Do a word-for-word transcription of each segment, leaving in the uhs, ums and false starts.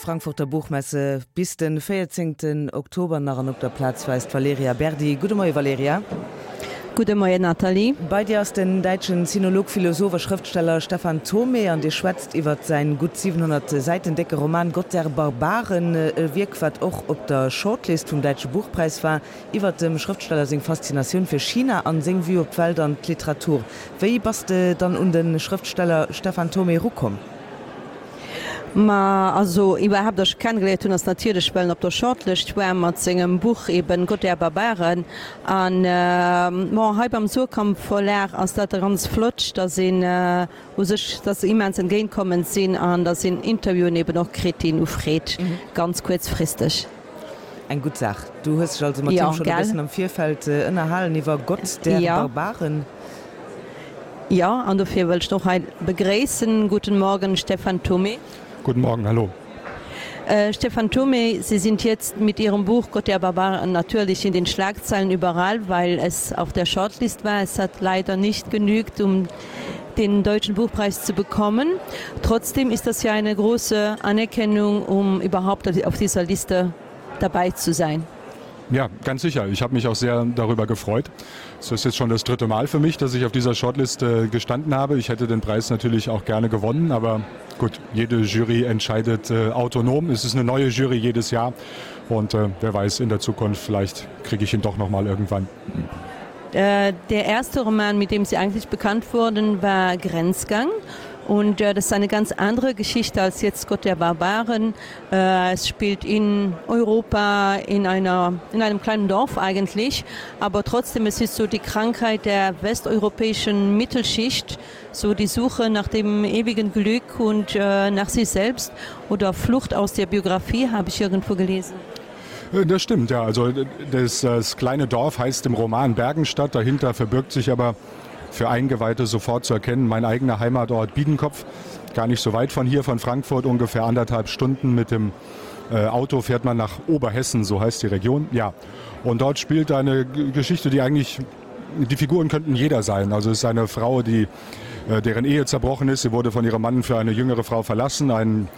Frankfurter Buchmesse bis den véierzéngten Oktober nach an op der Plaz war eis d'Valerija Berdi. Gudde Moie Valerija. Gudde Moien Nathalie. Bei dir ass den däitschen Sinolog, Philosoph a Schrëftsteller Stefan Thomé an dir schwätzt iwwer säin gutt siwenhonnert Säiten décke Roman Gott der Barbaren, e Wierk wat och op der Shortlist vum Däitsche Buchpräis war, iwwer dem Schrëftsteller seng Faszinatioun fir China an seng Vue op d'Welt an d'Literatur. Wéi bass de dann un de Schrëftsteller Stefan Thomé erukomm? Ma also iwwerhaapt, datt ech kennegeléiert hunn, ass natierlech well en op der Shortlist war mat sengem Buch eben Gott der Barbaren. An bon, hei beim Suhrkamp Verlag ass dat ganz flott, datt een u sech, datt se immens entgéintkommend sinn an datt een Interviewen eben och kritt, déi een ufreet, ganz kuerzfristeg. Eng gutt Saach. Du hues dech also mat him schonn e bëssen am Virfeld ënnerhalen iwwer Gott der Barbaren. Jo, an dofir wëll ech en och hei begréissen. Guten Morgen, Stefan Thomé. Guten Morgen, hallo. Stefan Thomé, Sie sind jetzt mit Ihrem Buch Gott der Barbaren natürlich in den Schlagzeilen überall, weil es auf der Shortlist war. Es hat leider nicht genügt, um den deutschen Buchpreis zu bekommen. Trotzdem ist das ja eine große Anerkennung, um überhaupt auf dieser Liste dabei zu sein. Ja, ganz sicher. Ich habe mich auch sehr darüber gefreut. Es ist jetzt schon das dritte Mal für mich, dass ich auf dieser Shortlist äh, gestanden habe. Ich hätte den Preis natürlich auch gerne gewonnen, aber gut, jede Jury entscheidet äh, autonom. Es ist eine neue Jury jedes Jahr und äh, wer weiß, in der Zukunft vielleicht kriege ich ihn doch noch mal irgendwann. Äh, der erste Roman, mit dem Sie eigentlich bekannt wurden, war Grenzgang. Und äh, das ist eine ganz andere Geschichte als jetzt Gott der Barbaren. Äh, es spielt in Europa, in, einer, in einem kleinen Dorf eigentlich. Aber trotzdem, es ist so die Krankheit der westeuropäischen Mittelschicht, so die Suche nach dem ewigen Glück und äh, nach sich selbst oder Flucht aus der Biografie, habe ich irgendwo gelesen. Äh, das stimmt, ja. Also das, das kleine Dorf heißt im Roman Bergenstadt. Dahinter verbirgt sich aber für Eingeweihte sofort zu erkennen, mein eigener Heimatort Biedenkopf, gar nicht so weit von hier, von Frankfurt, ungefähr anderthalb Stunden mit dem äh, Auto fährt man nach Oberhessen, so heißt die Region. Ja, und dort spielt eine Geschichte, die eigentlich, die Figuren könnten jeder sein. Also es ist eine Frau, die, äh, deren Ehe zerbrochen ist. Sie wurde von ihrem Mann für eine jüngere Frau verlassen, ein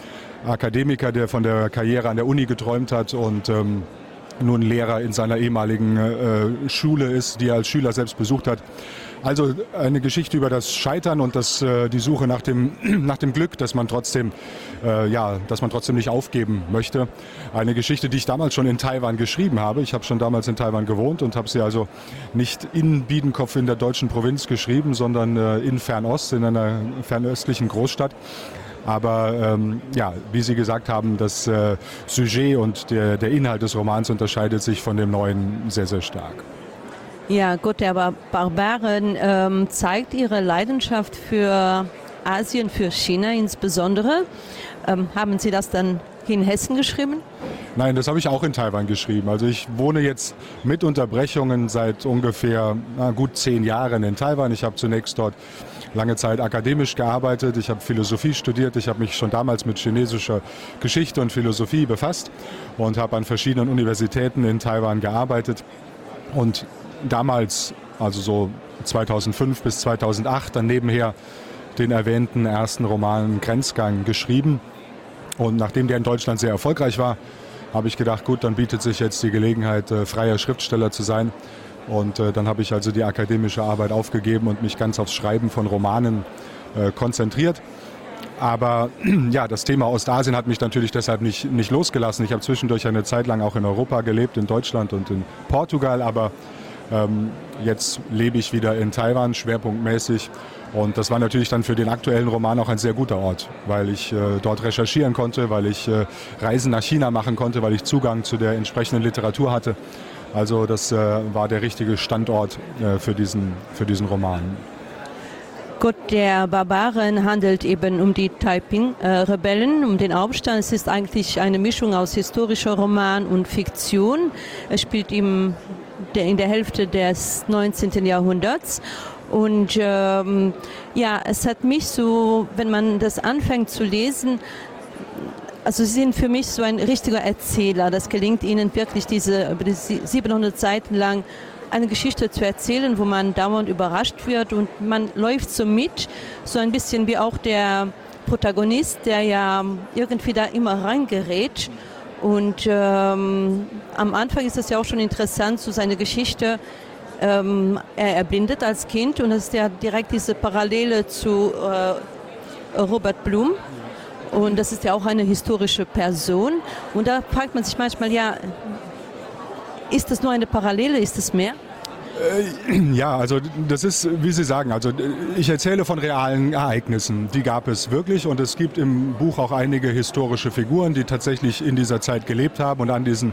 Akademiker, der von der Karriere an der Uni geträumt hat und ähm, nun Lehrer in seiner ehemaligen äh, Schule ist, die er als Schüler selbst besucht hat. Also eine Geschichte über das Scheitern und das, äh, die Suche nach dem, nach dem Glück, dass man trotzdem, äh, ja, dass man trotzdem nicht aufgeben möchte. Eine Geschichte, die ich damals schon in Taiwan geschrieben habe. Ich habe schon damals in Taiwan gewohnt und habe sie also nicht in Biedenkopf in der deutschen Provinz geschrieben, sondern äh, in Fernost, in einer fernöstlichen Großstadt. Aber ähm, ja, wie Sie gesagt haben, das äh, Sujet und der, der Inhalt des Romans unterscheidet sich von dem neuen sehr, sehr stark. Ja, Gott der Barbaren ähm, zeigt ihre Leidenschaft für Asien, für China insbesondere. Ähm, haben Sie das dann in Hessen geschrieben? Nein, das habe ich auch in Taiwan geschrieben. Also ich wohne jetzt mit Unterbrechungen seit ungefähr na, gut zehn Jahren in Taiwan. Ich habe zunächst dort lange Zeit akademisch gearbeitet. Ich habe Philosophie studiert. Ich habe mich schon damals mit chinesischer Geschichte und Philosophie befasst und habe an verschiedenen Universitäten in Taiwan gearbeitet. Und damals, also so zweitausendfünf bis zweitausendacht, dann nebenher den erwähnten ersten Roman Grenzgang geschrieben. Und nachdem der in Deutschland sehr erfolgreich war, habe ich gedacht, gut, dann bietet sich jetzt die Gelegenheit, äh, freier Schriftsteller zu sein. Und äh, dann habe ich also die akademische Arbeit aufgegeben und mich ganz aufs Schreiben von Romanen äh, konzentriert. Aber ja, das Thema Ostasien hat mich natürlich deshalb nicht, nicht losgelassen. Ich habe zwischendurch eine Zeit lang auch in Europa gelebt, in Deutschland und in Portugal. Aber ähm, jetzt lebe ich wieder in Taiwan, schwerpunktmäßig. Und das war natürlich dann für den aktuellen Roman auch ein sehr guter Ort, weil ich äh, dort recherchieren konnte, weil ich äh, Reisen nach China machen konnte, weil ich Zugang zu der entsprechenden Literatur hatte. Also das äh, war der richtige Standort äh, für diesen, für diesen Roman. Gott der Barbaren handelt eben um die Taiping-Rebellen, um den Aufstand. Es ist eigentlich eine Mischung aus historischer Roman und Fiktion. Es spielt im, der, in der Hälfte des neunzehnten Jahrhunderts. Und ähm, ja, es hat mich so, wenn man das anfängt zu lesen, also sie sind für mich so ein richtiger Erzähler. Das gelingt ihnen wirklich, diese, diese siebenhundert Seiten lang eine Geschichte zu erzählen, wo man dauernd überrascht wird und man läuft so mit, so ein bisschen wie auch der Protagonist, der ja irgendwie da immer reingerät. Und ähm, am Anfang ist es ja auch schon interessant zu seiner Geschichte. Ähm, er erblindet als Kind und es ist ja direkt diese Parallele zu äh, Robert Blum. Und das ist ja auch eine historische Person. Und da fragt man sich manchmal ja, ist das nur eine Parallele, ist es mehr? Äh, ja, also das ist, wie Sie sagen, also ich erzähle von realen Ereignissen. Die gab es wirklich und es gibt im Buch auch einige historische Figuren, die tatsächlich in dieser Zeit gelebt haben und an diesen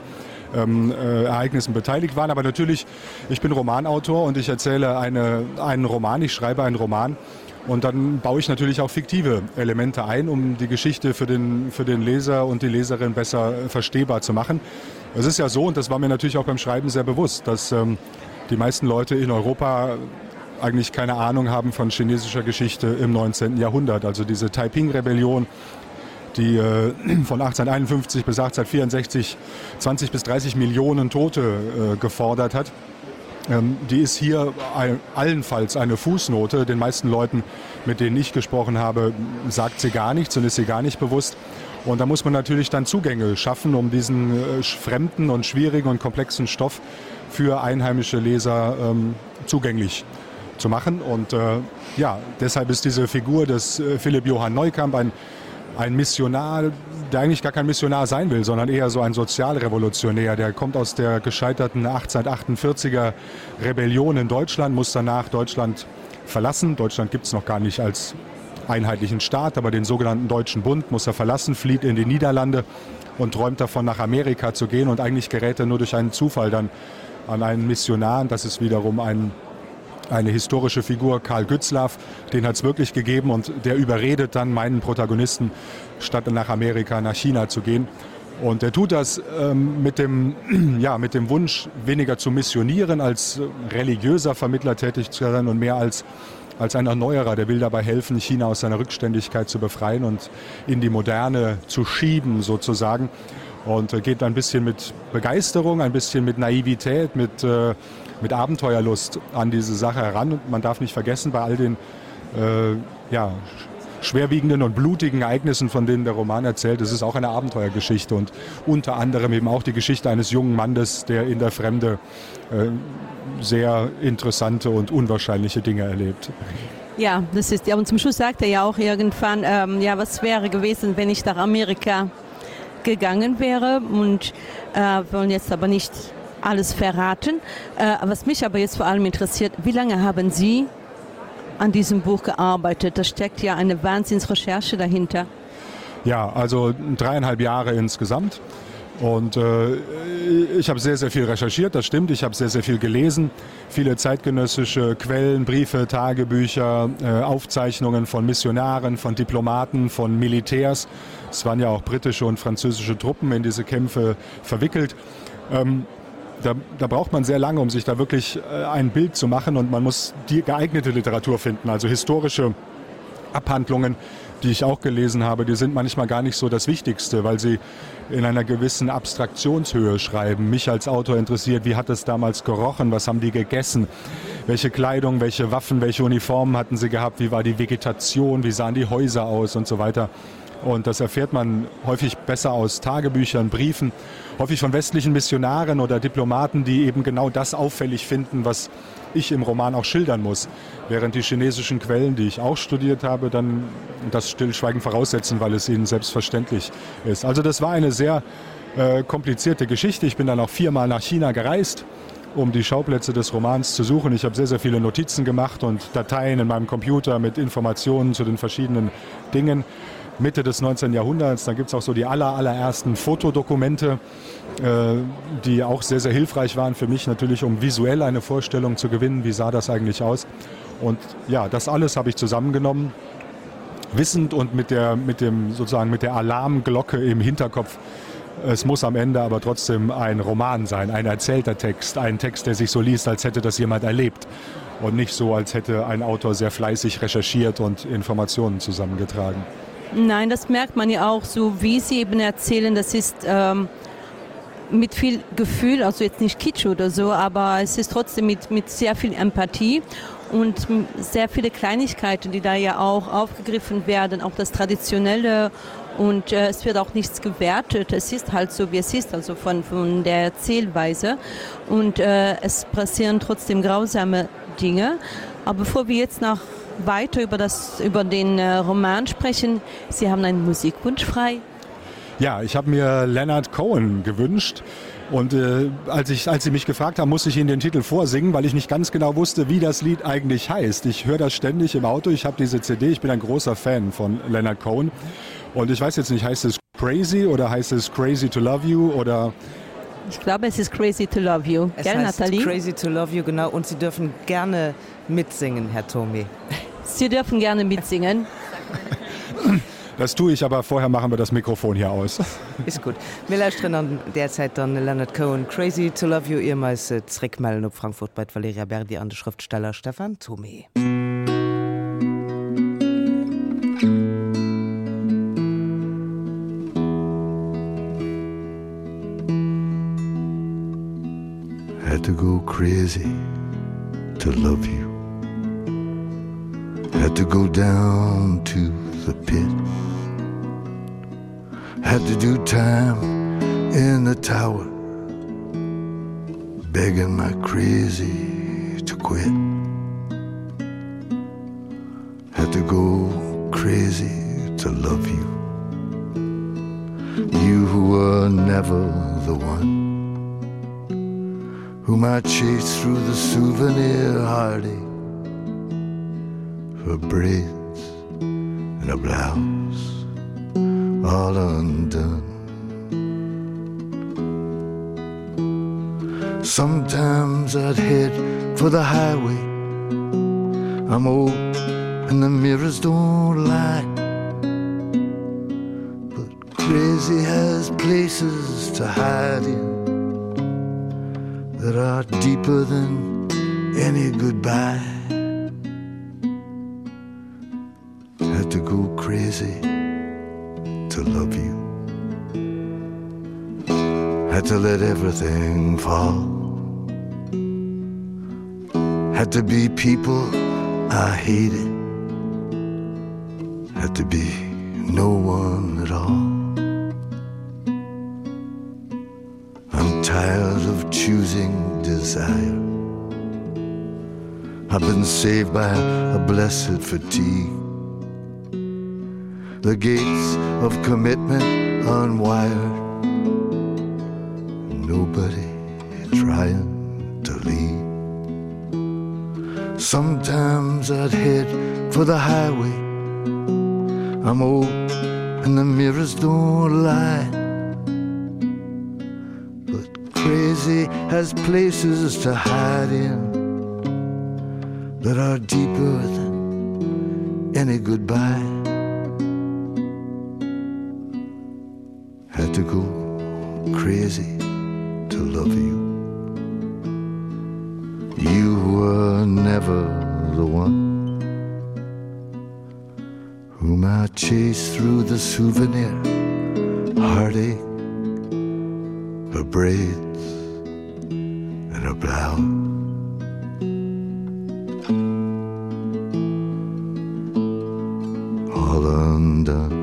ähm, äh, Ereignissen beteiligt waren. Aber natürlich, ich bin Romanautor und ich erzähle eine, einen Roman, ich schreibe einen Roman. Und dann baue ich natürlich auch fiktive Elemente ein, um die Geschichte für den, für den Leser und die Leserin besser verstehbar zu machen. Es ist ja so, und das war mir natürlich auch beim Schreiben sehr bewusst, dass ähm, die meisten Leute in Europa eigentlich keine Ahnung haben von chinesischer Geschichte im neunzehnten. Jahrhundert. Also diese Taiping-Rebellion, die äh, von achtzehnhunderteinundfünfzig bis achtzehnhundertvierundsechzig zwanzig bis dreißig Millionen Tote äh, gefordert hat. Ähm, die ist hier allenfalls eine Fußnote. Den meisten Leuten, mit denen ich gesprochen habe, sagt sie gar nichts und ist sie gar nicht bewusst. Und da muss man natürlich dann Zugänge schaffen, um diesen äh, fremden und schwierigen und komplexen Stoff für einheimische Leser, ähm, zugänglich zu machen. Und, äh, ja, deshalb ist diese Figur des, äh, Philipp Johann Neukamp ein, ein Missionar, der eigentlich gar kein Missionar sein will, sondern eher so ein Sozialrevolutionär. Der kommt aus der gescheiterten achtzehnhundertachtundvierziger Rebellion in Deutschland, muss danach Deutschland verlassen. Deutschland gibt's noch gar nicht als einheitlichen Staat, aber den sogenannten Deutschen Bund muss er verlassen, flieht in die Niederlande und träumt davon, nach Amerika zu gehen. Und eigentlich gerät er nur durch einen Zufall dann an einen Missionar. Und das ist wiederum ein, eine historische Figur, Karl Gützlaff, den hat's wirklich gegeben und der überredet dann meinen Protagonisten, statt nach Amerika, nach China zu gehen. Und er tut das, ähm, mit dem, ja, mit dem Wunsch, weniger zu missionieren, als religiöser Vermittler tätig zu sein und mehr als, als ein Erneuerer, der will dabei helfen, China aus seiner Rückständigkeit zu befreien und in die Moderne zu schieben sozusagen. Und, äh, geht ein bisschen mit Begeisterung, ein bisschen mit Naivität, mit, äh, mit Abenteuerlust an diese Sache heran. Und man darf nicht vergessen, bei all den, äh, ja, schwerwiegenden und blutigen Ereignissen, von denen der Roman erzählt, es ist auch eine Abenteuergeschichte und unter anderem eben auch die Geschichte eines jungen Mannes, der in der Fremde, äh, sehr interessante und unwahrscheinliche Dinge erlebt. Ja, das ist ja, und zum Schluss sagt er ja auch irgendwann, ähm, ja, was wäre gewesen, wenn ich nach Amerika gegangen wäre, und, äh, wollen jetzt aber nicht alles verraten. Äh, was mich aber jetzt vor allem interessiert, wie lange haben Sie an diesem Buch gearbeitet? Da steckt ja eine Wahnsinnsrecherche dahinter. Ja, also dreieinhalb Jahre insgesamt. Und, äh, ich habe sehr, sehr viel recherchiert, das stimmt. Ich habe sehr, sehr viel gelesen. Viele zeitgenössische Quellen, Briefe, Tagebücher, äh, Aufzeichnungen von Missionaren, von Diplomaten, von Militärs. Es waren ja auch britische und französische Truppen in diese Kämpfe verwickelt. Ähm, da, da braucht man sehr lange, um sich da wirklich, äh, ein Bild zu machen, und man muss die geeignete Literatur finden, also historische Abhandlungen, die ich auch gelesen habe, die sind manchmal gar nicht so das Wichtigste, weil sie in einer gewissen Abstraktionshöhe schreiben. Mich als Autor interessiert, wie hat es damals gerochen, was haben die gegessen, welche Kleidung, welche Waffen, welche Uniformen hatten sie gehabt, wie war die Vegetation, wie sahen die Häuser aus und so weiter. Und das erfährt man häufig besser aus Tagebüchern, Briefen, häufig von westlichen Missionaren oder Diplomaten, die eben genau das auffällig finden, was ich im Roman auch schildern muss. Während die chinesischen Quellen, die ich auch studiert habe, dann das Stillschweigen voraussetzen, weil es ihnen selbstverständlich ist. Also das war eine sehr, äh, komplizierte Geschichte. Ich bin dann auch viermal nach China gereist, um die Schauplätze des Romans zu suchen. Ich habe sehr, sehr viele Notizen gemacht und Dateien in meinem Computer mit Informationen zu den verschiedenen Dingen. Mitte des neunzehnten Jahrhunderts, da gibt's auch so die aller, allerersten Fotodokumente, äh, die auch sehr, sehr hilfreich waren für mich natürlich, um visuell eine Vorstellung zu gewinnen, wie sah das eigentlich aus. Und ja, das alles habe ich zusammengenommen, wissend und mit der, mit dem, sozusagen mit der Alarmglocke im Hinterkopf. Es muss am Ende aber trotzdem ein Roman sein, ein erzählter Text, ein Text, der sich so liest, als hätte das jemand erlebt und nicht so, als hätte ein Autor sehr fleißig recherchiert und Informationen zusammengetragen. Nein, das merkt man ja auch so, wie Sie eben erzählen, das ist, ähm, mit viel Gefühl, also jetzt nicht Kitsch oder so, aber es ist trotzdem mit, mit sehr viel Empathie und sehr viele Kleinigkeiten, die da ja auch aufgegriffen werden, auch das Traditionelle und äh, es wird auch nichts gewertet. Es ist halt so, wie es ist, also von, von der Erzählweise und äh, es passieren trotzdem grausame Dinge. Aber bevor wir jetzt noch weiter über, das, über den äh, Roman sprechen, Sie haben einen Musikwunsch frei. Ja, ich habe mir Leonard Cohen gewünscht. Und äh, als, ich, als sie mich gefragt haben, musste ich Ihnen den Titel vorsingen, weil ich nicht ganz genau wusste, wie das Lied eigentlich heißt. Ich höre das ständig im Auto, ich habe diese C D, ich bin ein großer Fan von Leonard Cohen. Und ich weiß jetzt nicht, heißt es Crazy oder heißt es Crazy to Love You oder... Ich glaube, es ist Crazy to Love You. Es Gell, heißt Nathalie? Crazy to Love You, genau. Und Sie dürfen gerne mitsingen, Herr Thomé. Sie dürfen gerne mitsingen. Das tue ich, aber vorher machen wir das Mikrofon hier aus. Ist gut. Wir lauschteren an der Zeit dann Leonard Cohen, Crazy to Love You, ier mir eis zréckmellen op Frankfurt bei Valerija Berdi an de Schrëftsteller Stefan Thomé. Had to go crazy to love you. Had to go down to the pit. Had to do time in the tower, begging my crazy to quit. Had to go crazy to love you, you who were never the one, whom I chased through the souvenir heartache, her braids and her blouse all undone. Sometimes I'd head for the highway. I'm old and the mirrors don't lie, but crazy has places to hide in that are deeper than any goodbye. Had to go crazy to love you. Had to let everything fall. Had to be people I hated. Had to be no one at all. I'm tired of choosing desire. I've been saved by a blessed fatigue. The gates of commitment unwired. Nobody trying to leave. Sometimes I'd head for the highway. I'm old and the mirrors don't lie, but crazy has places to hide in that are deeper than any goodbye. Had to go crazy to love you. You were never the one whom I chased through the souvenir heartache, her braids and her blouse. All undone.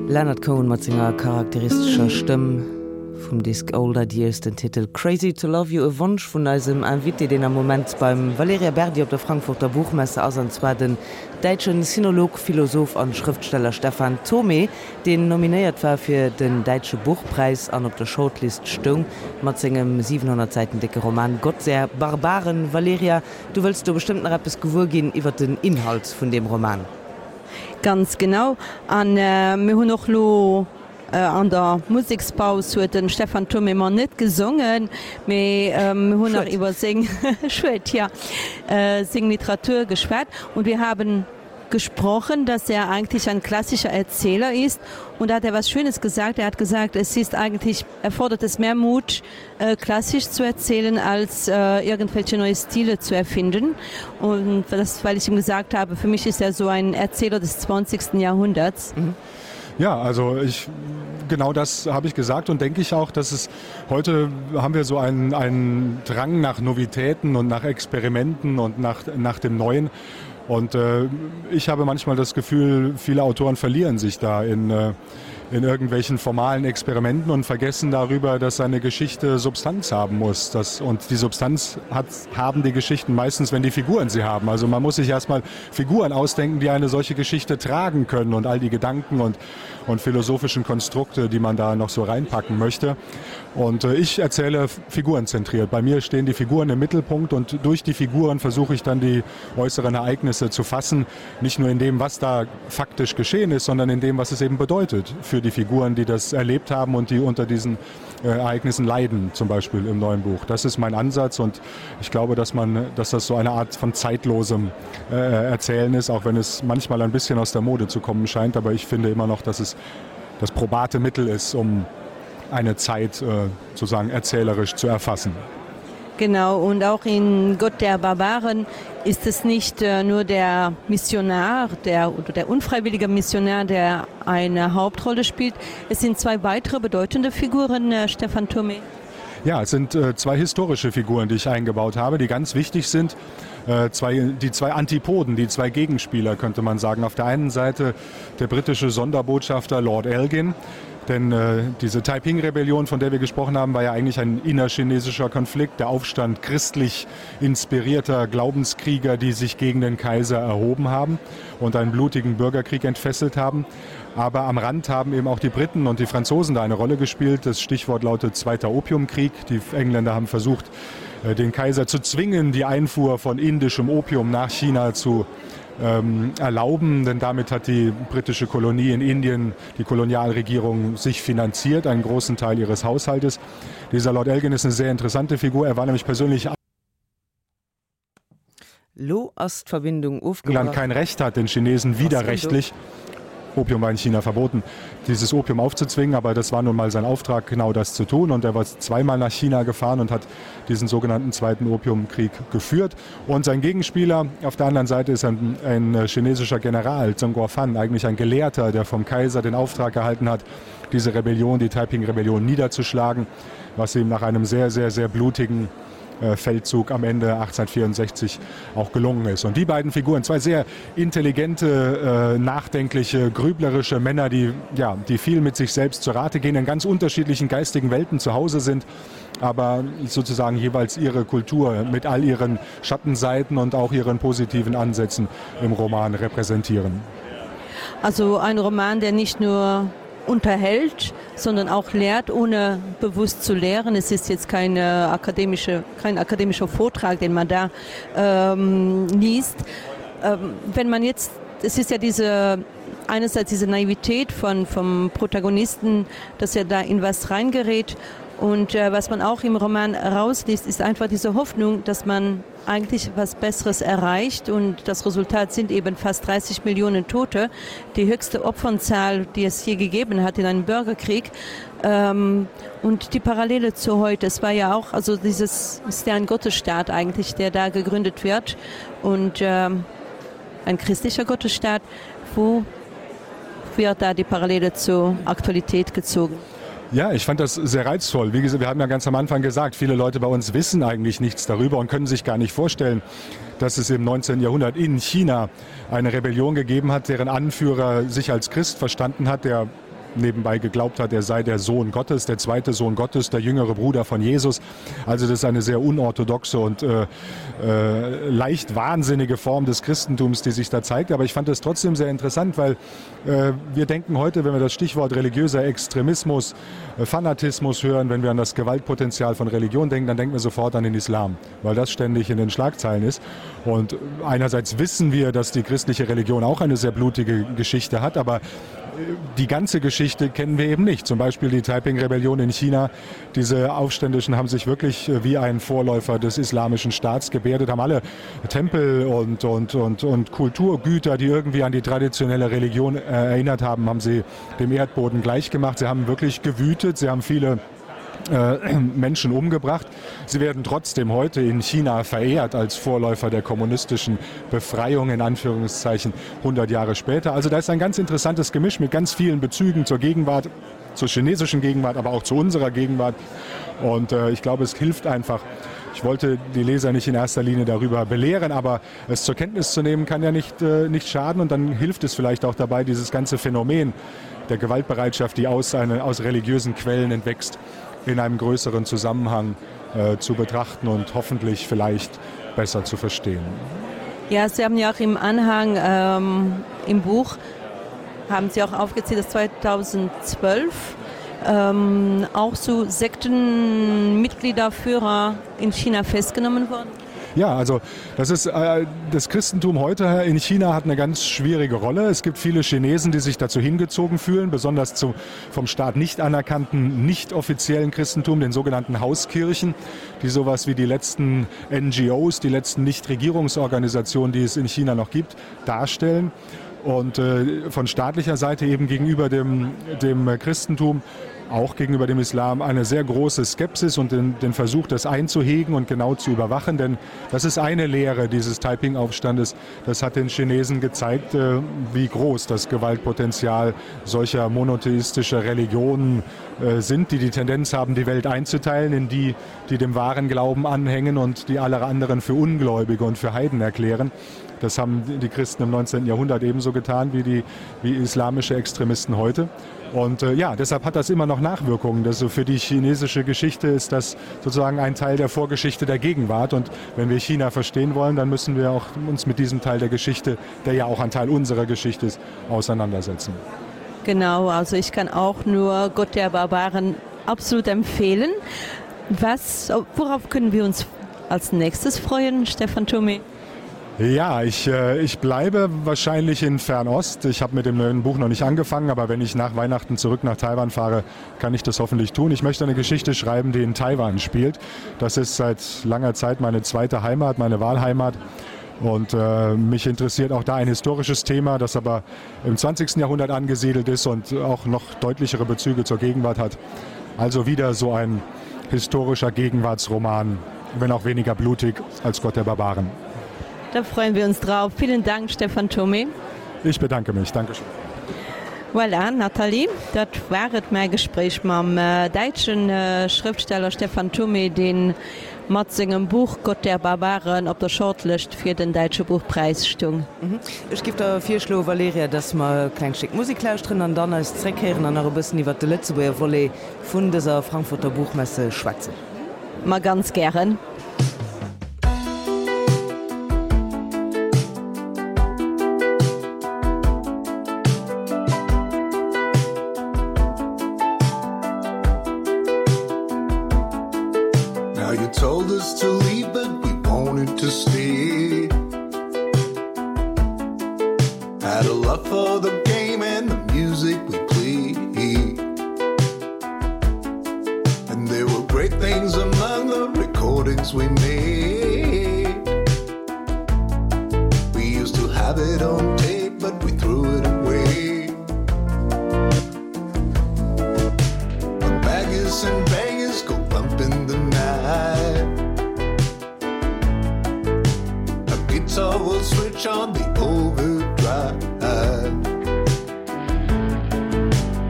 Leonard Cohen mat senger charakteristescher Stëmm vum Disk Old Ideas, den Titel Crazy to Love You, e Wonsch vun eisem Invité, deen am Moment beim Valerija Berdi op der Frankfurter Buchmesse ass, an zwar den däitschen Sinolog, Philosoph an Schrëftsteller Stefan Thomé, deen nominéiert war fir den Däitsche Buchpreis an op der Shortlist stoung mat sengem siwenhonnert Säiten décke Roman Gott der Barbaren. Valerija, du wëlls do bestëmmt nach eppes gewuer ginn iwwer den Inhalt vun deem Roman. Ganz genau. An, äh, mir hunn och lo, äh, an der Musekspaus huet den Stefan Thomé mar net gesongen, mee, ähm, mir hunn nach Schued. iwwer seng Schued, ja, äh, seng Literatur geschwat. Und wir haben gesprochen, dass er eigentlich ein klassischer Erzähler ist und da hat er was Schönes gesagt. Er hat gesagt, es ist eigentlich erfordert es mehr Mut, äh, klassisch zu erzählen, als äh, irgendwelche neue Stile zu erfinden. Und das, weil ich ihm gesagt habe, für mich ist er so ein Erzähler des zwanzigsten Jahrhunderts. Mhm. Ja, also ich genau das habe ich gesagt und denke ich auch, dass es heute haben wir so einen, einen Drang nach Novitäten und nach Experimenten und nach, nach dem Neuen. Und äh, ich habe manchmal das Gefühl, viele Autoren verlieren sich da in, äh, in irgendwelchen formalen Experimenten und vergessen darüber, dass eine Geschichte Substanz haben muss. Das, und die Substanz hat, haben die Geschichten meistens, wenn die Figuren sie haben. Also man muss sich erstmal Figuren ausdenken, die eine solche Geschichte tragen können und all die Gedanken und, und philosophischen Konstrukte, die man da noch so reinpacken möchte. Und äh, ich erzähle figurenzentriert. Bei mir stehen die Figuren im Mittelpunkt und durch die Figuren versuche ich dann die äußeren Ereignisse zu fassen, nicht nur in dem, was da faktisch geschehen ist, sondern in dem, was es eben bedeutet für die Figuren, die das erlebt haben und die unter diesen äh, Ereignissen leiden, zum Beispiel im neuen Buch. Das ist mein Ansatz und ich glaube, dass man, dass das so eine Art von zeitlosem äh, Erzählen ist, auch wenn es manchmal ein bisschen aus der Mode zu kommen scheint. Aber ich finde immer noch, dass es das probate Mittel ist, um eine Zeit äh, sozusagen erzählerisch zu erfassen. Genau und auch in Gott der Barbaren ist es nicht äh, nur der Missionar der oder der unfreiwillige Missionar, der eine Hauptrolle spielt. Es sind zwei weitere bedeutende Figuren äh, Stefan Thome. Ja, es sind äh, zwei historische Figuren, die ich eingebaut habe, die ganz wichtig sind. Äh, zwei, die zwei Antipoden, die zwei Gegenspieler könnte man sagen. Auf der einen Seite der britische Sonderbotschafter Lord Elgin, Denn äh, diese Taiping-Rebellion, von der wir gesprochen haben, war ja eigentlich ein innerchinesischer Konflikt, der Aufstand christlich inspirierter Glaubenskrieger, die sich gegen den Kaiser erhoben haben und einen blutigen Bürgerkrieg entfesselt haben. Aber am Rand haben eben auch die Briten und die Franzosen da eine Rolle gespielt. Das Stichwort lautet Zweiter Opiumkrieg. Die Engländer haben versucht, äh, den Kaiser zu zwingen, die Einfuhr von indischem Opium nach China zu ähm, erlauben, denn damit hat die britische Kolonie in Indien, die Kolonialregierung sich finanziert, einen großen Teil ihres Haushaltes. Dieser Lord Elgin ist eine sehr interessante Figur. Er war nämlich persönlich Lo ass d'Verbindung England kein Recht hat, den Chinesen widerrechtlich Opium war in China verboten, dieses Opium aufzuzwingen, aber das war nun mal sein Auftrag, genau das zu tun. Und er war zweimal nach China gefahren und hat diesen sogenannten Zweiten Opiumkrieg geführt. Und sein Gegenspieler auf der anderen Seite ist ein, ein chinesischer General, Zheng Guofan, eigentlich ein Gelehrter, der vom Kaiser den Auftrag erhalten hat, diese Rebellion, die Taiping-Rebellion niederzuschlagen, was ihm nach einem sehr, sehr, sehr blutigen äh, Feldzug am Ende achtzehnhundertvierundsechzig auch gelungen ist. Und die beiden Figuren, zwei sehr intelligente, äh, nachdenkliche, grüblerische Männer, die, ja, die viel mit sich selbst zu Rate gehen, in ganz unterschiedlichen geistigen Welten zu Hause sind, aber sozusagen jeweils ihre Kultur mit all ihren Schattenseiten und auch ihren positiven Ansätzen im Roman repräsentieren. Also ein Roman, der nicht nur unterhält, sondern auch lehrt, ohne bewusst zu lehren. Es ist jetzt keine akademische, kein akademischer Vortrag, den man da ähm, liest. Ähm, wenn man jetzt, es ist ja diese einerseits diese Naivität von, vom Protagonisten, dass er da in was reingerät. Und äh, was man auch im Roman rausliest, ist einfach diese Hoffnung, dass man eigentlich was Besseres erreicht. Und das Resultat sind eben fast dreißig Millionen Tote, die höchste Opfernzahl, die es je gegeben hat in einem Bürgerkrieg. Ähm, und die Parallele zu heute, es war ja auch, also dieses ist ja ein Gottesstaat eigentlich, der da gegründet wird und ähm, ein christlicher Gottesstaat. Wo wird da die Parallele zur Aktualität gezogen? Ja, ich fand das sehr reizvoll. Wie gesagt, wir haben ja ganz am Anfang gesagt, viele Leute bei uns wissen eigentlich nichts darüber und können sich gar nicht vorstellen, dass es im neunzehnten Jahrhundert in China eine Rebellion gegeben hat, deren Anführer sich als Christ verstanden hat, der nebenbei geglaubt hat, er sei der Sohn Gottes, der zweite Sohn Gottes, der jüngere Bruder von Jesus. Also das ist eine sehr unorthodoxe und, äh, äh, leicht wahnsinnige Form des Christentums, die sich da zeigt. Aber ich fand das trotzdem sehr interessant, weil, äh, wir denken heute, wenn wir das Stichwort religiöser Extremismus, äh, Fanatismus hören, wenn wir an das Gewaltpotenzial von Religion denken, dann denken wir sofort an den Islam, weil das ständig in den Schlagzeilen ist. Und einerseits wissen wir, dass die christliche Religion auch eine sehr blutige Geschichte hat, aber die ganze Geschichte kennen wir eben nicht. Zum Beispiel die Taiping-Rebellion in China. Diese Aufständischen haben sich wirklich äh, wie ein Vorläufer des islamischen Staats gebärdet, haben alle Tempel und, und, und, und Kulturgüter, die irgendwie an die traditionelle Religion äh, erinnert haben, haben sie dem Erdboden gleichgemacht. Sie haben wirklich gewütet, sie haben viele äh, Menschen umgebracht. Sie werden trotzdem heute in China verehrt als Vorläufer der kommunistischen Befreiung in Anführungszeichen hundert Jahre später. Also da ist ein ganz interessantes Gemisch mit ganz vielen Bezügen zur Gegenwart, zur chinesischen Gegenwart, aber auch zu unserer Gegenwart. Und äh, ich glaube, es hilft einfach. Ich wollte die Leser nicht in erster Linie darüber belehren, aber es zur Kenntnis zu nehmen, kann ja nicht, äh, nicht schaden. Und dann hilft es vielleicht auch dabei, dieses ganze Phänomen der Gewaltbereitschaft, die aus, eine, aus religiösen Quellen entwächst, in einem größeren Zusammenhang äh, zu betrachten und hoffentlich vielleicht besser zu verstehen. Ja, Sie haben ja auch im Anhang ähm, im Buch haben Sie auch aufgezählt, dass zweitausendzwölf ähm, auch so Sektenmitgliederführer in China festgenommen wurden. Ja, also das ist äh, das Christentum heute in China hat eine ganz schwierige Rolle. Es gibt viele Chinesen, die sich dazu hingezogen fühlen, besonders zu, vom Staat nicht anerkannten, nicht offiziellen Christentum, den sogenannten Hauskirchen, die sowas wie die letzten N G Os, die letzten Nichtregierungsorganisationen, die es in China noch gibt, darstellen. Und äh, von staatlicher Seite eben gegenüber dem, dem Christentum, auch gegenüber dem Islam eine sehr große Skepsis und den, den Versuch, das einzuhegen und genau zu überwachen. Denn das ist eine Lehre dieses Taiping-Aufstandes. Das hat den Chinesen gezeigt, äh, wie groß das Gewaltpotenzial solcher monotheistischer Religionen äh, sind, die die Tendenz haben, die Welt einzuteilen in die, die dem wahren Glauben anhängen und die alle anderen für Ungläubige und für Heiden erklären. Das haben die Christen im neunzehnten. Jahrhundert ebenso getan wie die wie islamische Extremisten heute. Und äh, ja, deshalb hat das immer noch Nachwirkungen. Also für die chinesische Geschichte ist das sozusagen ein Teil der Vorgeschichte der Gegenwart. Und wenn wir China verstehen wollen, dann müssen wir auch uns mit diesem Teil der Geschichte, der ja auch ein Teil unserer Geschichte ist, auseinandersetzen. Genau, also ich kann auch nur Gott der Barbaren absolut empfehlen. Was, worauf können wir uns als nächstes freuen, Stefan Thomé? Ja, ich, äh, ich bleibe wahrscheinlich in Fernost. Ich habe mit dem neuen Buch noch nicht angefangen, aber wenn ich nach Weihnachten zurück nach Taiwan fahre, kann ich das hoffentlich tun. Ich möchte eine Geschichte schreiben, die in Taiwan spielt. Das ist seit langer Zeit meine zweite Heimat, meine Wahlheimat. Und äh, mich interessiert auch da ein historisches Thema, das aber im zwanzigsten. Jahrhundert angesiedelt ist und auch noch deutlichere Bezüge zur Gegenwart hat. Also wieder so ein historischer Gegenwartsroman, wenn auch weniger blutig als Gott der Barbaren. Da freuen wir uns drauf. Vielen Dank, Stefan Thomé. Ich bedanke mich. Dankeschön. Voilà, Nathalie, dat war et mäi Gespréich mam däitsche Schrëftsteller Stefan Thomé, dee mat sengem Buch Gott der Barbaren op der Shortlist fir den Däitsche Buchpräis stoung. Ech géif der virschloen, Valerija, dass mer e klengt Stéck Musek lauschteren an dann eis zréckhéieren an nach e bëssen iwwert de Lëtzebuerger Volet vun dëser Frankfurter Buchmesse schwätzen. Ma ganz gären. Now you told us to leave, but we wanted to stay. Had a love for the game and the music we played. And there were great things among the recordings we made. We used to have it on tape, but we threw it away. But baggers and bangers go bump in the night. A guitar will switch on the overdrive.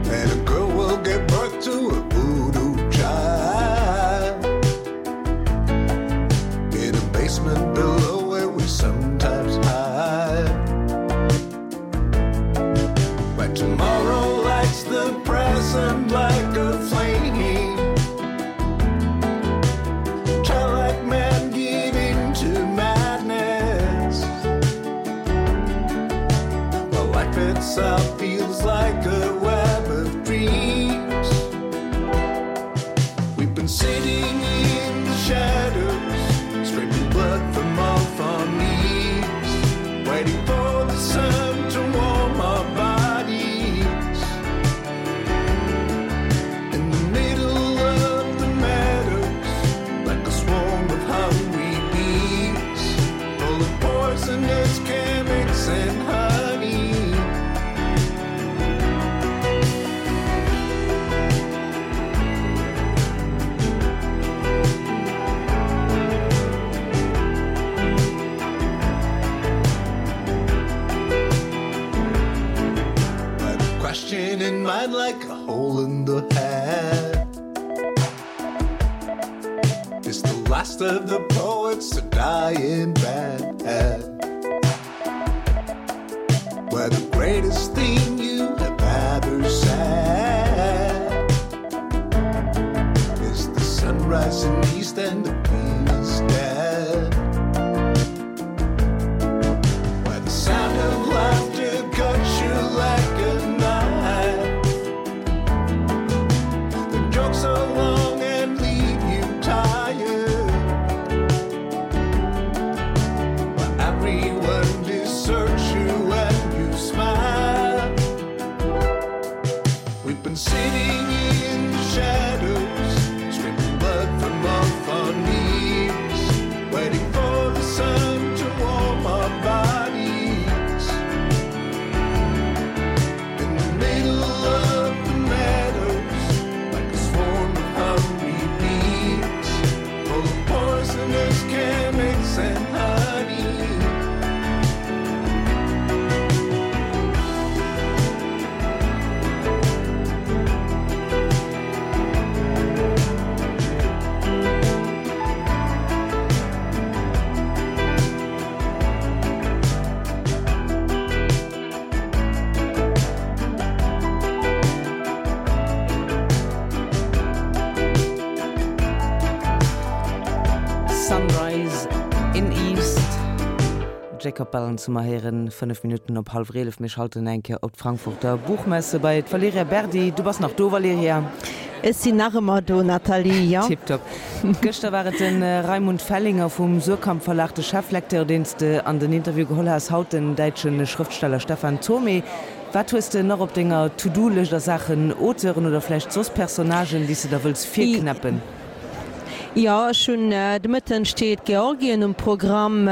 And a girl will give birth to a voodoo child. In a basement below where we sometimes hide. But tomorrow lights the present like a flame. Childlike man give into madness. While life itself feels like a web of dreams. We've been sitting in the shadows, scraping blood from off our knees, waiting for the sun to warm our bodies. mind like a hole in the head. It's the last of the poets to die in bed. Where the greatest thing you have ever said is the sunrise in the east and the queen is dead. Where the sound of laughter cuts you like a knife. The jokes are long and leave you tired. Where everyone deserts you when you smile. We've been sitting in the shadows, scraping blood from off our knees, waiting for the sun to warm our bodies. In the middle of the meadows, like a swarm of hungry bees, full of poisonous chemics and honey. Sunrise in East. Jacob Balance hu mer héieren, fënnef Minutten op hallwer eelef. Mir schalten eng Kéier op d'Frankfurter Buchmesse bei d'Valerija Berdi. Du bass nach do, Valerija? Ech sinn nach ëmmer do, Nathalie, jo. Tiptop. Gëschter war et de Raimund Fellinger vum Suhrkamp Verlag, de Cheflecteur, deen s de an den Interview geholl has, haut den däitsche Schrëftsteller Stefan Thomé. Wat hues de nach op denger To-Do-Lëscht a Saachen Auteuren oder vläicht soss Personnagen, déi s de der wëlls virknäppen? Jo, ech hunn de Mëtten steet Georgien um Programm,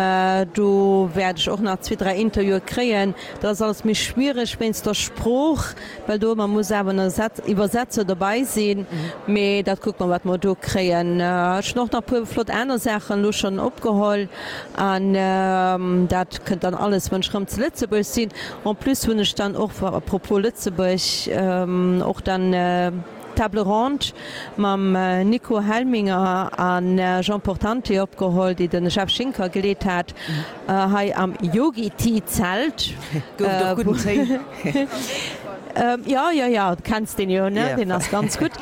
do wäert ech och nach zwee, dräi Interviewe kréien. Dat ass alles méi schwiereg wéinst der Sprooch, well do ëmmer muss awer en Iwwersetzer dobäi sinn. Mee dat kucke mer, wat mer do kréien. Ech hunn och nach e puer flott aner Saachen elo schonn opgeholl an dat kënnt dann alles, wann ech erëm zu Lëtzebuerg sinn. En plus hunn ech dann och, à propos Lëtzebuerg, och dann Table Ronde mam Nico Helminger a Jean Portante opgeholl, déi de Jeff Schinker geleet hat, hei am Yogi Tea Zelt. Gouf et och gudden Téi? Jo, jo, jo, du kenns deen jo, ne? Deen ass ganz gutt.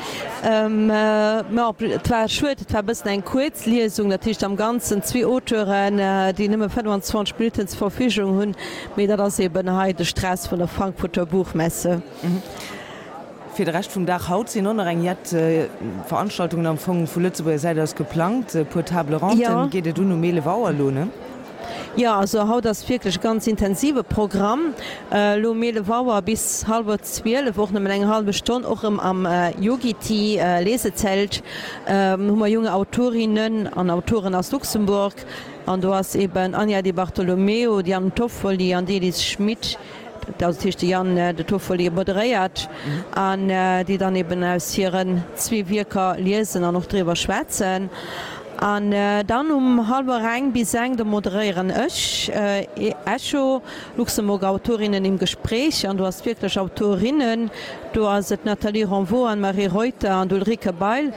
Ma et war schued, et war e bëssen eng kuerz Liesung, dat heescht am Ganzen zwee Auteuren, déi nëmme fënnwanzwanzeg Minutten zur Verfügung hunn, mee dat ass eben hei de Stress vun der Frankfurter Buchmesse. Fir de Rescht vum Dag haut sinn och nach eng jett Veranstaltungen am Fong vu Lëtzebuerger Säit aus geplangt. E puer Table Ronden geet et un um eelef Auer elo, ne? Jo, also haut ass wierklech e ganz intensive Programm. Elo um eelef Auer bis hallwer zwielef, och nëmmen eng hallwe Stonn, och erëm am Yogi Tea Lesezelt hu mer junge Autorinnen an Autoren aus Luxemburg. An do ass eben Anja Di Bartolomeo, d'Diane Toffoli an d'Elis Schmit. Dat heescht de Jan de Toffoli moderéiert an déi dann eben aus hiren zwee Wierker liesen an och driwwer schwätzen. An dann um hallwer eng bis eng, do moderéieren ech Echo, Luxemburger Autorinnen im Gespräch an do ass wierklech Autorinnen, do ass et d'Nathalie Renvaux, Anne-Marie Reuter an d'Ulrike Bail.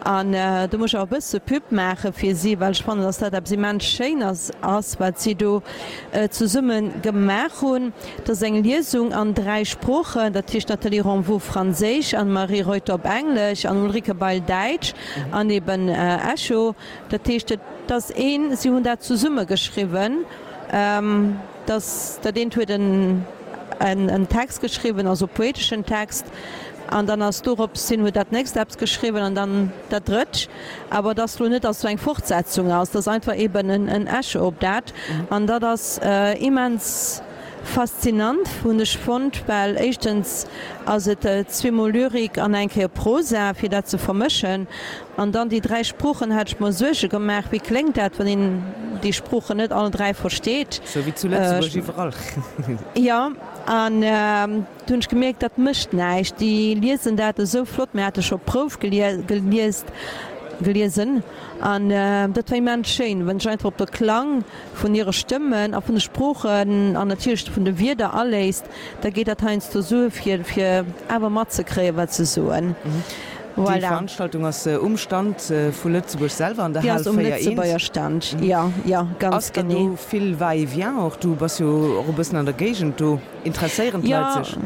An do muss ech och e bësse Pub maache fir si, well ech fannen, dass dat eppes immens Schéines ass, wat si do zesumme gemaach hunn. Dat ass eng Liesung an dräi Sproochen, dat heescht Nathalie Renvaux Franséisch, Anne-Marie Reuter op Englesch an Ulrike Bail Däitsch an eben Echo. Dat heescht, et ass een, si hunn dat zesumme geschriwwen, dass dat eent huet en en Text geschriwwen, also poeteschen Text, an dann ass dorops hin huet dat nächst eppes geschriwwen an dann dat drëtt. Awer et ass elo net, dass do eng Fortsetzung ass, et ass einfach eben en en Echo op dat. An dat ass immens faszinant, hunn ech fonnt, well éischtens ass et zweemol Lyrik an eng Kéier Prosa, fir dat ze vermëschen. An dann déi dräi Sproochen, hat ech mer Suerge gemaach, wéi kléngt dat, wann een déi Sproochen net all dräi versteet. Sou wéi zu Lëtzebuerg iwwerall. Jo, an du hunn ech gemierkt, dat mécht näischt, déi liesen dat esou flott. Mir hate scho Prouf geliest Geliesen an dat war immens schéin, wann sech einfach op de Klang vun hire Stëmmen a vun de Sproochen an natierlech vun de Wierder aléisst, da geet dat heiansdo sou fir fir awer matzekréien, wat se soen. Déi Voilà. Veranstaltung ass um Stand vu Lëtzebuerg selwer an der Déi Hal ass um véier eent. Lëtzebuerger Stand, jo, jo, ganz Ass dann genee. do vill Va-et-vient och? Du bass jo och e bëssen an der Géigend do. Interesséieren Jo, d'Leit sech?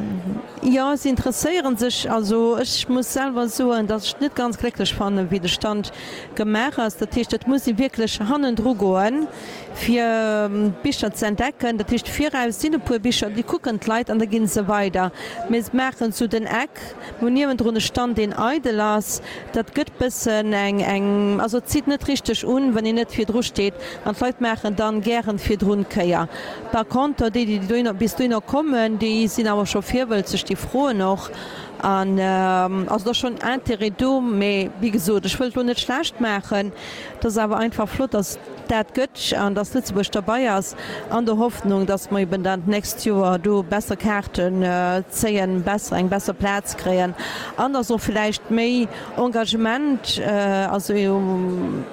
jo, si interesséieren sech. Also ech muss selwer soen, datt ech et net ganz glécklech fannen, wéi de Stand gemaach ass. Dat heescht, et muss ee wierklech hannendru goen, fir d'Bicher ze entdecken. Dat heescht, viraus sinn e puer Bicher, déi kucken d'Leit an da gi se weider. Mee se maachen esou den Eck, mir hunn niewendrun e Stand, deen eidel ass. Dat gëtt bëssen eng, eng, also et zitt net richteg un, wann een net virdru steet an d'Leit maachen dann gären virdrun d'Kéier. Par conter déi, déi dohinner, bis dohinner kommen, déi sinn awer scho virwëlzeg, déi froen och an also et ass schonn Intérêt do. Mee wéi gesot, ech wëll et elo net schlecht maachen, et ass awer einfach flott, dass et dat gëtt an dass Lëtzebuerg derbei ass, an der Hoffnung, dass mer eben dann d'nächst Joer do besser Kaarten zéien, besser, eng besser Plaz kréien an dass och villäicht méi Engagement, also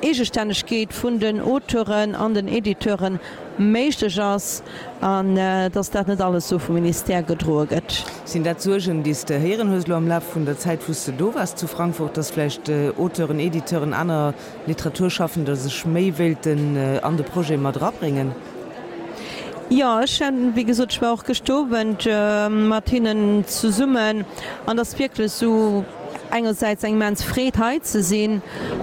Eegestännegkeet vun den Auteuren an den Editeuren méiglech ass an dass dat net alles esou vum Ministère gedroe gëtt. Sinn dat Suergen, déi s de héieren hues elo am Laf vun der Zäit, wou s de do waars zu Frankfurt, dass vläicht Auteuren, Editeuren, aner Literaturschaffender sech méi wéilten an de Projet mat erabréngen? Jo, ech hunn, wéi gesot, ech war och gëscht Owend mat hinnen zesummen an et ass wierklech esou engersäits eng immens Freed hei ze sinn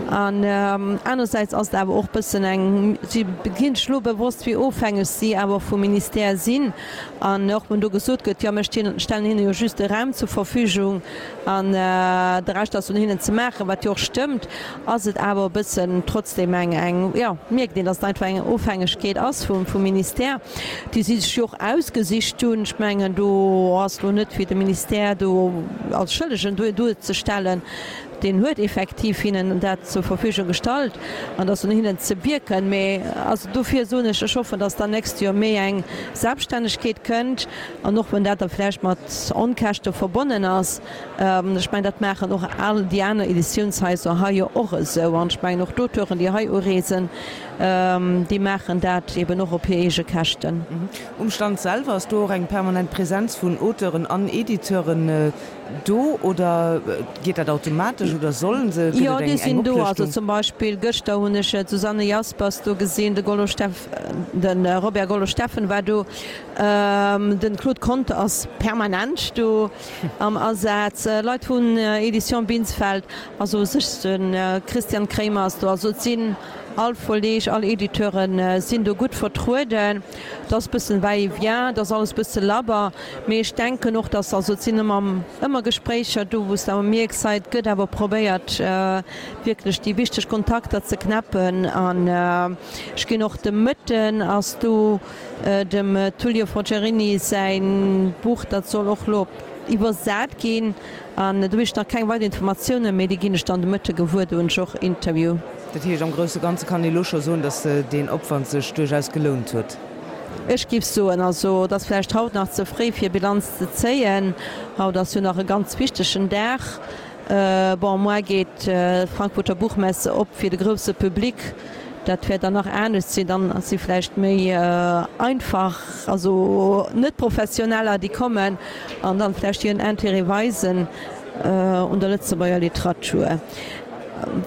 an anersäits ass et awer och bëssen eng, si ginn sech elo bewosst, wéi ofhängeg si awer vum Ministère sinn an och wann do gesot gëtt, jo mir stellen hinne jo just de Raum zur Verfügung an de Rescht ass un hinnen ze maachen, wat jo och stëmmt, ass et awer e bëssen trotzdem eng, eng, jo, mierkt een, datt et einfach eng Ofhängegkeet ass vum, vum Ministère, déi si sech jo och ausgesicht hunn. Ech mengen, do ass elo net fir de Ministère do als Schëllegen duerzestellen. Deen huet effektiv hinnen dat zur Verfügung gestallt an et ass un hinnen ze wierken. Mee also dofir soen ech, ech hoffen, datt dann nächst Joer méi eng Selbststännegkeet kënnt an och wann dat da vläicht mat Onkäschte verbonnen ass. Ech mengen, dat maachen och all déi aner Editiounshaiser hei jo och esou an ech mengen och d'Auteuren, déi hei ureesen, déi maachen dat eben och op hir eege Käschten. Um Stand selwer, ass do och eng permanent Präsenz vun Auteuren an Editeuren do oder geet dat automatesch oder sollen se, gëtt Jo, et déi eng eng sinn do. Also Oplëschtung? zum Beispill gëschter hunn ech d'Susanne Jaspers do gesinn, de Gollo Steff, de Robert Gollo Steffen war do, den Claude Conter ass permanent do am Asaz, Leit vun Editions Binsfeld, also u sech de Christian Kremer ass do. Also et sinn all Verleeg, all Editeure sinn do gutt vertrueden. Et ass bëssen va-et-vient, et ass alles bësse labber, mee ech denken och, dass, also et sinn ëmmer ëmmer Gespréicher do, wou s de awer mierks, hei et gëtt awer probéiert wierklech déi wichteg Kontakter ze knäppen. An ech ginn och de Mëtten ass do dem Tullio Forgiarini säin Buch, dat soll och elo op iwwersat ginn. An do hunn ech nach keng weider Informatiounen, mee déi ginn ech dann de Mëtte gewuer, do hunn ech och Interview. Dat heescht, am grousse Ganze kann ee lo scho soen, datt deen Opwand sech duerchaus gelount huet? Ech géif soen, also et ass vläicht haut nach ze fréi fir Bilanz ze zéien. Haut ass jo nach e ganz wichtegen Dag. Bon, muer geet d'Frankfurter Buchmesse op fir de grousse Public. Dat wäert dann nach anescht sinn, dann si vläicht méi einfach, also net Professioneller, déi kommen an dann vläicht hiren Intérêt weisen un der Lëtzebuerger Literatur.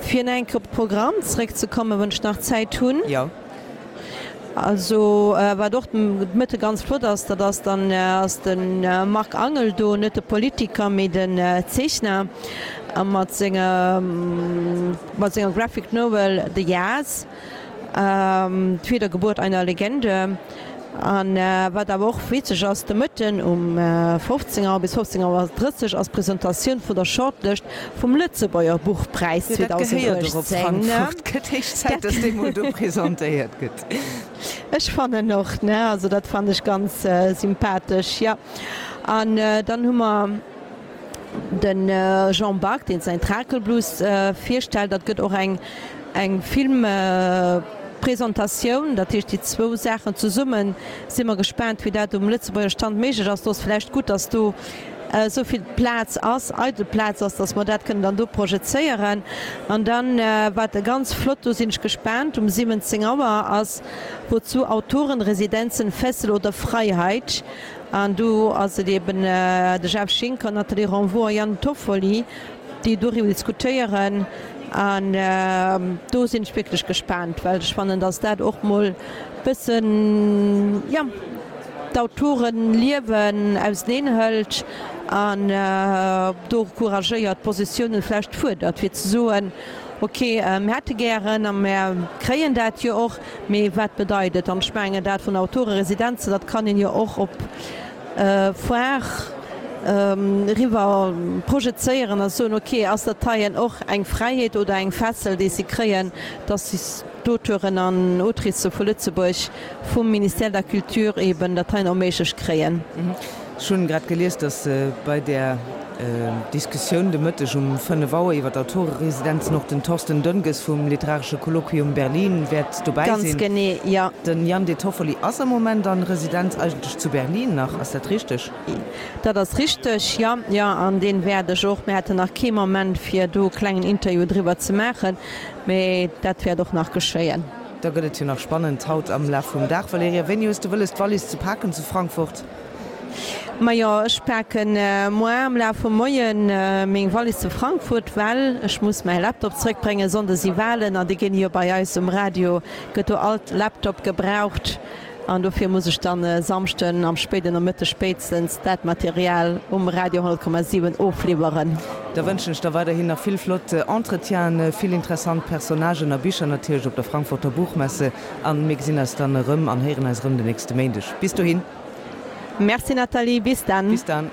Fir nach eng Kéier op de Programm zeréckzekommen, wann ech nach Zäit hunn. Jo. Also wat och de Mëtte ganz flott ass, dat ass dann ass de Marc Angel do, net de Politiker, mee den Zeechner mat senger mat senger Graphic Novel The Yaz, d'Wiedergeburt einer Legende. An wat awer och witzeg ass, de Mëtten um fofzéng Auer bis fofzéng Auer drësseg ass d'Presentatioun vun der Shortlëscht vum Lëtzebuerger Buchpräis Jo, dat gehéiert och op zweitausenduechtzéng. Frankfurt. Gëtt héich Zäit, Dat dass dee mol do presentéiert gëtt. Ech fannen och, ne? Also dat fannen ech ganz sympathesch, jo. An dann hu mer de Jean Back, deen säin Trakelblues virstellt. Dat gëtt och eng eng Filmpresentatioun, dat heescht déi zwou Saachen zesummen. Si mer gespaant, wéi dat um Lëtzebuerger Stand méiglech ass. Do ass vläicht gutt, datt do esou vill Plaz ass, eidel Plaz ass, dass mer dat kënnen dann do projezéieren. An dann, wat ganz flott, do sinn ech gespaant, um siwwenzéng Auer ass Wozu Autorenresidenzen, Fessel oder Freiheit? An do ass et eben de Jeff Schinker, Nathalie Renvaux a Yann Toffoli, déi doriwwer diskutéieren. An do sinn ech wierklech gespaant, well ech fannen, dass dat och mol bëssen, jo, d'Autorenliewen auseneen hëlt an do couragéiert Positiounen vläicht fuerdert, fir ze soen, ok, mir hätte gären a mir kréien dat jo och, mee wat bedeit et? An ech mengen, dat vun Autoreresidenzen, dat kann een jo och op Foire eriwwer projezéieren a soen, ok, ass dat heien och eng Fräiheet oder eng Fessel, déi si kréien, dass si d'Auteuren an Autricë vu Lëtzebuerg vum Ministère de la Culture eben dat heien erméiglecht kréien. Ech hunn grad gelies, dass bei där Diskussioun de Mëtteg um fënnef Auer iwwer d'Autoreresidenzen och den Thorsten Dönges vum Literaresche Kolloquium Berlin wäert dobäi Ganz sinn. genee, jo. Den Yann De Toffoli ass am Moment an Residenz eigentlech zu Berlin nach, ass dat richteg? Dat ass richteg, jo, jo, an dee wäert ech och, mir haten nach kee Moment fir do e klengen Interview driwwer ze maachen, mee dat wäert och nach geschéien. Da gëtt et jo nach spannend haut am Laf vum Dag. Valerija, wéini hues de wëlles d'Wallis ze paken zu Frankfurt? Majo, ech paken moar am Laf vum Moien meng Wallis zu Frankfurt, well ech muss mäi Laptop zréckbréngen. Sonnde si Walen an déi ginn jo bei eis um Radio, gëtt do all Laptop gebraucht an dofir muss ech dann e Samschden am spéiden Nomëtteg spéitstens dat Material um Radio honnert Komma siwen ofliwweren. Da wënschen ech der weiderhin nach vill flott Entretienen, vill interessant Personnagen a Bicher natierlech op der Frankfurter Buchmesse an mir gesinn eis dann erëm an héieren eis erëm den nächste Méindeg. Bis dohin. Merci Nathalie, bis dann. Bis dann.